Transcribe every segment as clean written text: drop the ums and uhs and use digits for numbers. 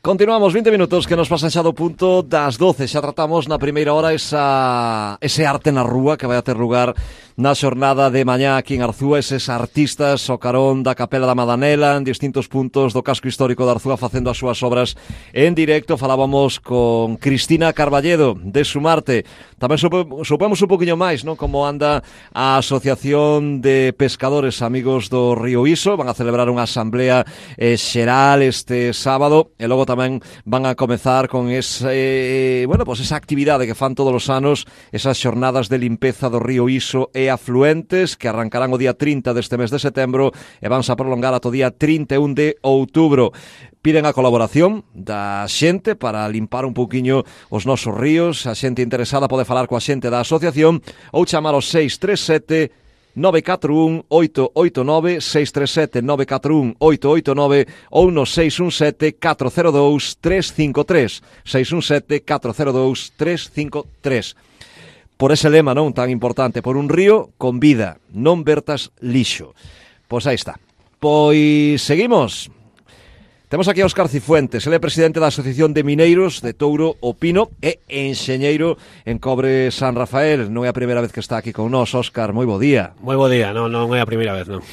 Continuamos, 20 minutos que nos pasan xa do punto das 12. Xa tratamos na primeira hora ese arte na rúa que vai a ter lugar na xornada de mañá aquí en Arzúa. Eses artistas ao carón da Capela da Madanela en distintos puntos do casco histórico de Arzúa facendo as súas obras en directo. Falábamos con Cristina Carballedo de Sumarte. Tamén supemos un poquinho máis, non, como anda a Asociación de Pescadores Amigos do Río Iso. Van a celebrar unha asamblea xeral este sábado e logo tamén van a comezar con esa actividade que fan todos os anos, esas xornadas de limpeza do río Iso e afluentes que arrancarán o día 30 deste mes de setembro e vanse a prolongar ata o día 31 de outubro. Piden a colaboración da xente para limpar un pouquiño os nosos ríos. A xente interesada pode falar coa xente da asociación ou chamar ao 637 941 889, 637 941 889 ou no 617 402 353, 617 402 353. Por ese lema, non, tan importante, por un río con vida, non vertas lixo. Pois aí está. Pois seguimos. Temos aquí a Óscar Cifuentes, ele é presidente da Asociación de Mineiros de Touro o Pino e enxeñeiro en Cobre San Rafael. Non é a primeira vez que está aquí con nós, Óscar, moi bo día. Moi bo día, non é a primeira vez, non.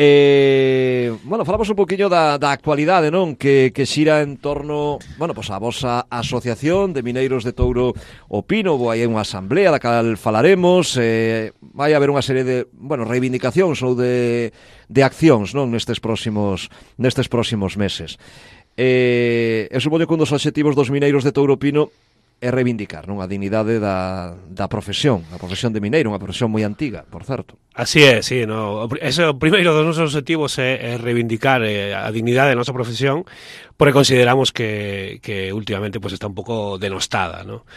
Falamos un poquinho da actualidade, non? Que xira en torno, a vosa Asociación de Mineiros de Touro o Pino. Hai unha asamblea da cal falaremos, vai haber unha serie de, reivindicacións ou de accións, non, nestes próximos meses. Supoño que un dos obxectivos dos mineiros de Touro o Pino é reivindicar, non, a dignidade da profesión, a profesión de mineiro, unha profesión moi antiga, por certo. Así é, sí, no. Ese o primeiro dos nosos objetivos é reivindicar a dignidade da nosa profesión, porque consideramos que últimamente pues está un pouco denostada, ¿no?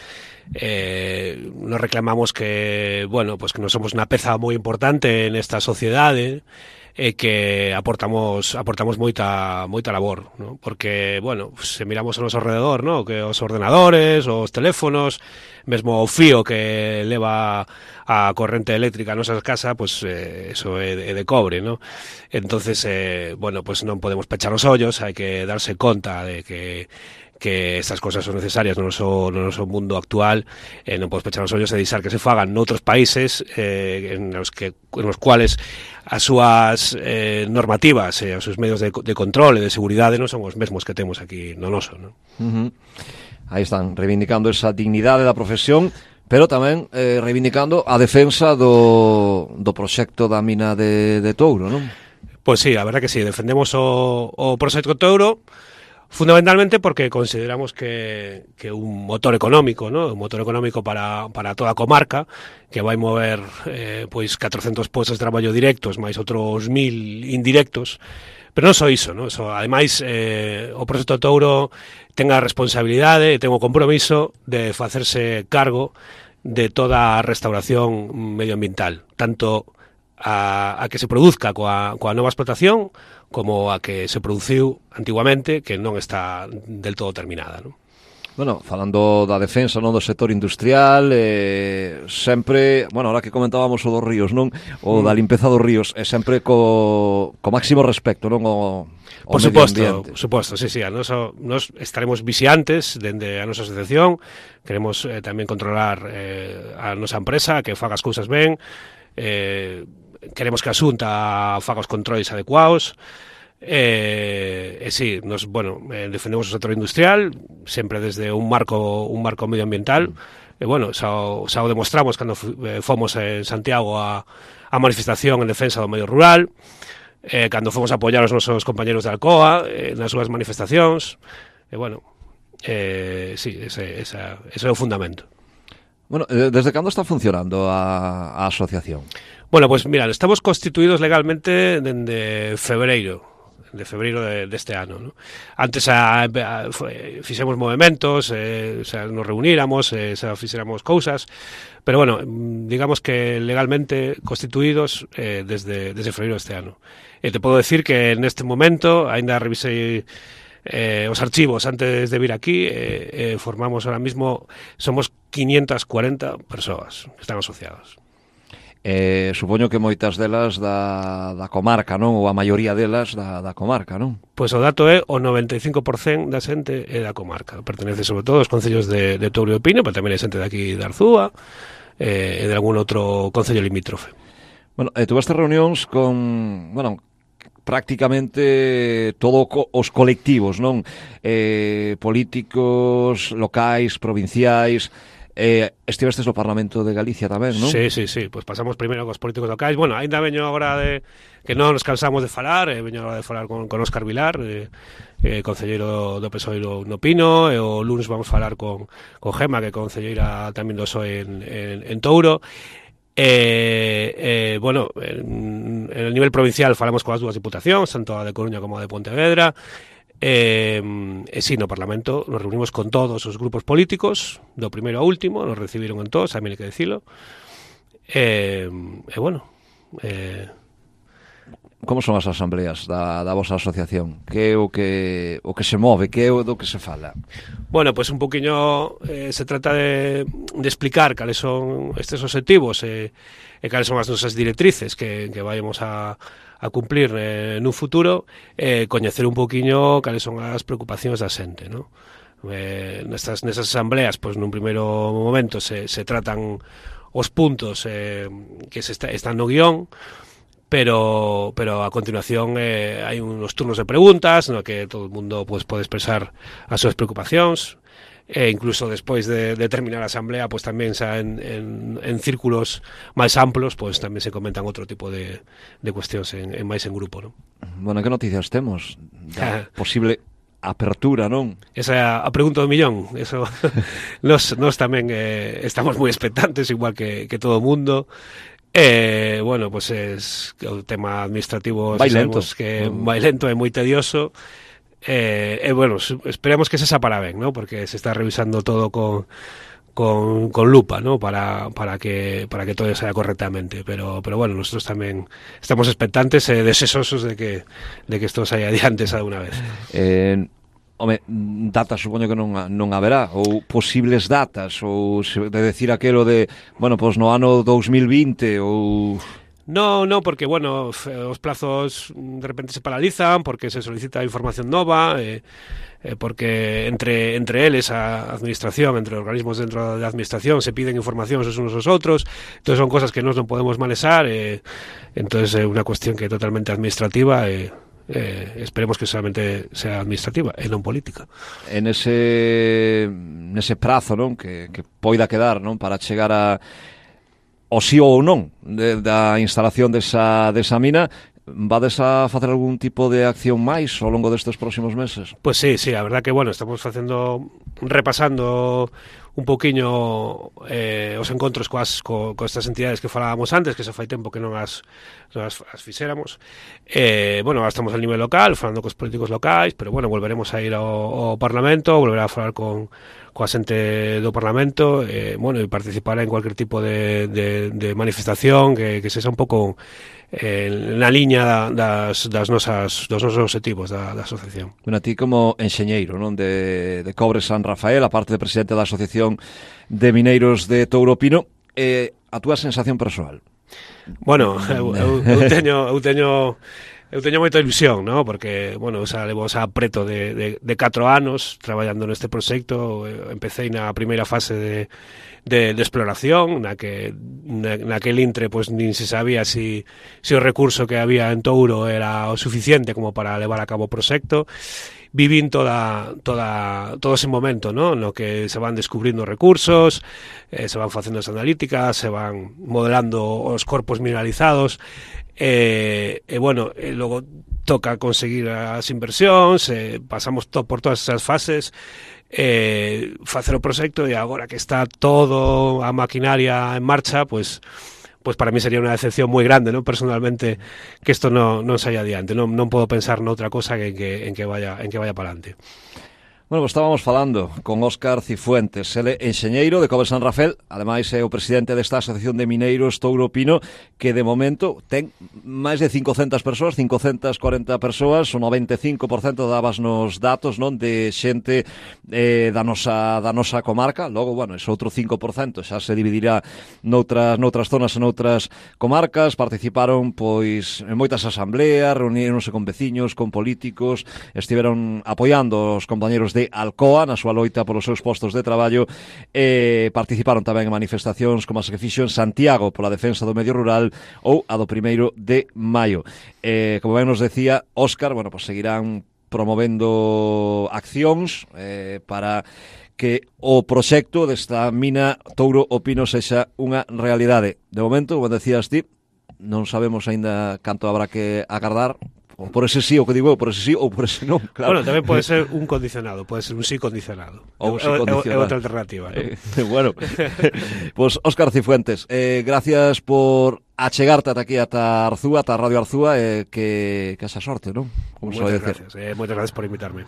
Nos reclamamos que, que non somos unha peza moi importante nesta sociedade, que aportamos moita labor, ¿no? Porque, se miramos ao noso alrededor, ¿no? Que os ordenadores, os teléfonos, mesmo o fío que leva a corrente eléctrica a nosa casa, eso é de cobre, ¿no? Entonces, non podemos pechar os ollos, hai que darse conta de que estas cosas son necesarias no noso mundo actual. Non podemos pechar os ollos e deixar que se fagan noutros países en los cuales as súas normativas e os seus medios de control e de seguridade non son os mesmos que temos aquí no noso, non? Aí están, reivindicando esa dignidade da profesión, pero tamén reivindicando a defensa do proxecto da mina de Touro, non? Pois sí, a verdad que sí, defendemos o proxecto Touro, fundamentalmente porque consideramos que un motor económico, ¿no? Un motor económico para toda a comarca, que vai mover 400 postos de traballo directos máis outros 1000 indirectos. Pero non só iso, ¿no? Ademais, o proxecto Touro ten a responsabilidade e ten o compromiso de facerse cargo de toda a restauración medioambiental, tanto a que se produzca coa nova explotación como a que se produciu antiguamente, que non está del todo terminada, non? Falando da defensa, non, do sector industrial, sempre, ahora que comentábamos o dos ríos, non, o da limpeza dos ríos, é sempre co máximo respecto, non, o por suposto, sí, nos estaremos vixiantes dende a nosa asociación, queremos tamén controlar a nosa empresa, que faga as cousas ben, queremos que a Xunta faga os controis adecuados, sí, defendemos o sector industrial sempre desde un marco medioambiental, xa o demostramos cando fomos en Santiago a manifestación en defensa do medio rural, cando fomos a apoiar os nosos compañeros de Alcoa nas súas manifestacións, sí, ese é o fundamento. Desde cando está funcionando a asociación? Mira, estamos constituídos legalmente dende febreiro deste ano, ¿no? Antes fixemos movimentos, nos reuníramos, fixéramos cousas, pero digamos que legalmente constituídos desde febreiro deste ano. Te podo decir que neste momento, ainda revisei os archivos antes de vir aquí, somos 540 persoas que están asociadas. Supoño que moitas delas da comarca, non? Ou a maioría delas da comarca, non? Pois o dato é o 95% da xente é da comarca. Pertenece sobre todo aos concellos de Touro e Pino, pero tamén hai xente de aquí de Arzúa e de algún outro concello limítrofe. Bueno, tuveste reunións con, bueno, prácticamente todos os colectivos, non? Políticos locais, provinciais. Estivestes no Parlamento de Galicia tamén, non? Sí, pues pasamos primeiro cos políticos locais. Bueno, ainda veño agora de que non nos cansamos de falar, veño agora de falar con Óscar Vilar, concelleiro do PSOE no Pino, e o lunes vamos falar con Gema, que é concelleira tamén do PSOE en Touro. Bueno, en el nivel provincial falamos coas dúas diputacións, tanto a de Coruña como a de Pontevedra. Sí, no Parlamento nos reunimos con todos os grupos políticos, do primeiro ao último, nos recibiron en todos, tamén hai que dicilo. Bueno, como son as asambleas da vosa asociación? Que é o que se move? Que é o do que se fala? Bueno, pues un poquinho se trata de explicar cales son estes obxectivos e cales son as nosas directrices que vayamos a cumplir nun futuro, coñecer un poquinho cales son as preocupacións da xente, ¿no? Nesas asambleas, pues nun primeiro momento se tratan os puntos que están no guión, pero a continuación hai unos turnos de preguntas no que todo o mundo pues, pode expresar as súas preocupacións, incluso despois de terminar a asamblea pues, tamén xa en círculos máis amplos pues, tamén se comentan outro tipo de cuestións máis en grupo, ¿no? Bueno, que noticias temos da posible apertura, non? Esa é a pregunta do millón. Eso nos tamén estamos moi expectantes, igual que todo o mundo. Bueno, pues es o tema administrativo vai lento, que vai lento e moi tedioso. Bueno, esperemos que se para ben, ¿no? Porque se está revisando todo con lupa, ¿no? Para que todo sea correctamente, pero bueno, nosotros tamén estamos expectantes e deseosos de que isto saia adiante xa de unha vez. Home, datas supoño que non haberá, ou posibles datas, ou de decir aquelo de, bueno, pois no ano 2020 ou... No, porque, bueno, os plazos de repente se paralizan porque se solicita información nova, porque entre eles a administración, entre organismos dentro da administración se piden información os unos aos outros, entonces son cosas que nós non podemos manexar, entonces é unha cuestión que é totalmente administrativa esperemos que solamente sea administrativa e non política. En ese prazo, non, que poida quedar, non, para chegar a o sí ou non da instalación desa mina, vades a facer algún tipo de acción máis ao longo destes próximos meses? Pues sí, a verdad que, bueno, estamos repasando un poquinho os encontros co estas entidades que falábamos antes, que xa fai tempo que non as fixéramos. Bueno, estamos a nivel local, falando cos políticos locais, pero bueno, volveremos a ir ao Parlamento, volverá a falar coa xente do Parlamento, bueno, e participar en cualquier tipo de manifestación que sexa un pouco na liña dos nosos objetivos da asociación. Bueno, a ti como enxeñeiro, non, de Cobre San Rafael, a parte de presidente da Asociación de Mineiros de Touro Pino, a túa sensación persoal? Bueno, eu teño moita ilusión, ¿no? Porque, bueno, xa levo xa preto de 4 anos traballando neste proxecto. Empecé na primeira fase de exploración, naquel intre pues nin se sabía si o recurso que había en Touro era o suficiente como para levar a cabo o proxecto. Vivín todo ese momento, ¿no? No que se van descubrindo recursos, se van facendo as analíticas, se van modelando os corpos mineralizados, bueno, logo toca conseguir as inversións, pasamos por todas esas fases, facer o proxecto, e agora que está todo a maquinaria en marcha, pues para mí sería unha decepción moi grande, ¿no? Personalmente, que isto non saia adiante. Non podo pensar noutra cosa en que vaya para adelante. Bueno, pues estábamos falando con Óscar Cifuentes, ele enxeñeiro de Cove San Rafael, ademais é o presidente desta Asociación de Mineiros Touro Pino, que de momento ten máis de 500 persoas, 540 persoas, o 95% dabas nos datos, non, de xente da nosa comarca. Logo, bueno, ese outro 5% xa se dividirá noutras zonas e noutras comarcas. Participaron, pois, en moitas asambleas, reuníronse con veciños, con políticos, estiveron apoiando os compañeros de Alcoa na súa loita polos seus postos de traballo, participaron tamén en manifestacións como as que fixo en Santiago pola defensa do medio rural ou a do 1º de maio. Como ben nos decía Óscar, bueno, pues seguirán promovendo accións para que o proxecto desta mina Touro o Pino sexa unha realidade. De momento, como decías ti, non sabemos aínda canto habrá que agardar. O por ese sí, o que digo eu, por ese sí ou por ese non, claro. Bueno, tamén pode ser un condicionado, pode ser un sí condicionado. Ou sí condicionado. É outra alternativa, ¿no? Bueno, pues Óscar Cifuentes, gracias por achegarte ata aquí, ata Arzúa, ata Radio Arzúa, que esa sorte, non? Moitas gracias por invitarme.